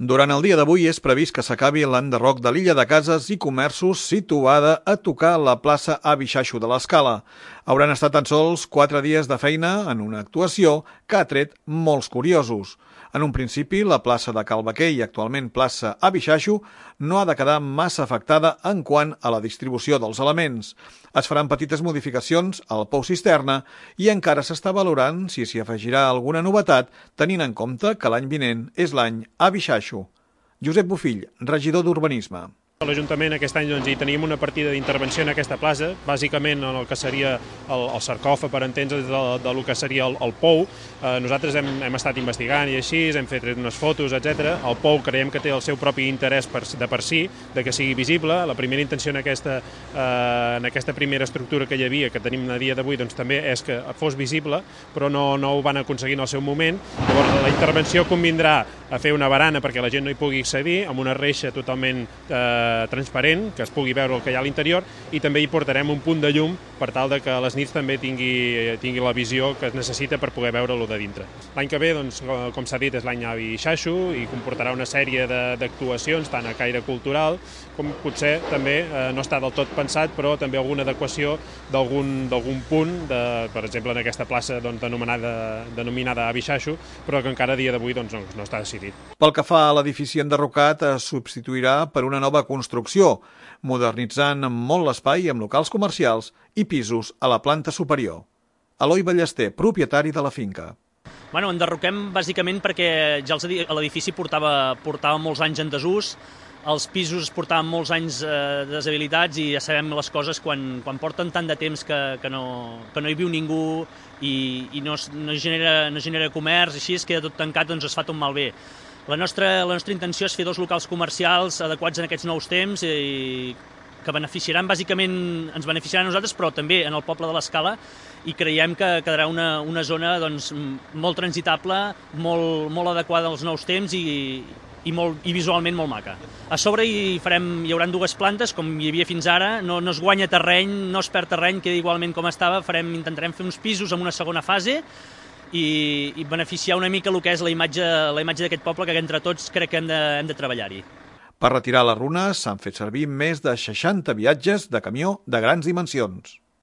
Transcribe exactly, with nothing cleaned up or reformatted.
Durant el dia d'avui és previst que s'acabi l'enderroc de l'illa de cases i comerços situada a tocar la plaça Avi Xaxo de l'Escala. Hauran estat tan sols quatre dies de feina en una actuació que ha tret molts curiosos. En un principi, la plaça de Cal Baquer i actualment plaça Avi Xaxo no ha de quedar massa afectada en quant a la distribució dels elements. Es faran petites modificacions al pou cisterna i encara s'està valorant si s'hi afegirà alguna novetat, tenint en compte que l'any vinent és l'any Avi Xaxo. Josep Bofill, regidor d'Urbanisme. A l'Ajuntament aquest any doncs, hi teníem una partida d'intervenció en aquesta plaça, bàsicament en el que seria el, el sarcòfag, per entendre's, de, de lo que seria el, el pou. Eh, nosaltres hem, hem estat investigant i així, hem fet unes fotos, etcètera. El pou creiem que té el seu propi interès per, de per si, de que sigui visible. La primera intenció en aquesta, eh, en aquesta primera estructura que hi havia, que tenim a dia d'avui, doncs, també és que fos visible, però no, no ho van aconseguir en el seu moment. Llavors, la intervenció convindrà a fer una barana perquè la gent no hi pugui accedir, amb una reixa totalment eh, transparent, que es pugui veure el que hi ha a l'interior, i també hi portarem un punt de llum per tal de que a les nits també tingui, tingui la visió que es necessita per poder veure-lo de dintre. L'any que ve, doncs, com s'ha dit, és l'any Avi Xaxo i comportarà una sèrie d'actuacions, tant a caire cultural com potser també eh, no està del tot pensat, però també alguna adequació d'algun punt, de, per exemple, en aquesta plaça doncs, denominada, denominada Avi Xaxo, però que encara a dia d'avui doncs, no, no està decidit. Pel que fa a l'edifici enderrocat, es substituirà per una nova construcció, modernitzant molt l'espai amb locals comercials i pisos a la planta superior. Eloi Ballester, propietari de la finca. Bueno, enderroquem bàsicament perquè ja l'edifici portava, portava molts anys en desús, els pisos portaven molts anys eh, deshabilitats i ja sabem les coses quan, quan porten tant de temps que, que, no, que no hi viu ningú i, i no, no, genera, no genera comerç, així es queda tot tancat, doncs es fa tot malbé. La nostra, la nostra intenció és fer dos locals comercials adequats en aquests nous temps i que beneficiaran, bàsicament ens beneficiaran a nosaltres, però també en el poble de l'Escala, i creiem que quedarà una, una zona doncs, molt transitable, molt, molt adequada als nous temps i, i, molt, i visualment molt maca. A sobre hi, farem, hi haurà dues plantes, com hi havia fins ara, no, no es guanya terreny, no es perd terreny, queda igualment com estava, farem, intentarem fer uns pisos en una segona fase, i, i beneficiar una mica el que és la imatge, la imatge d'aquest poble, que entre tots crec que hem de, hem de treballar-hi. Per retirar les runes s'han fet servir més de seixanta viatges de camió de grans dimensions.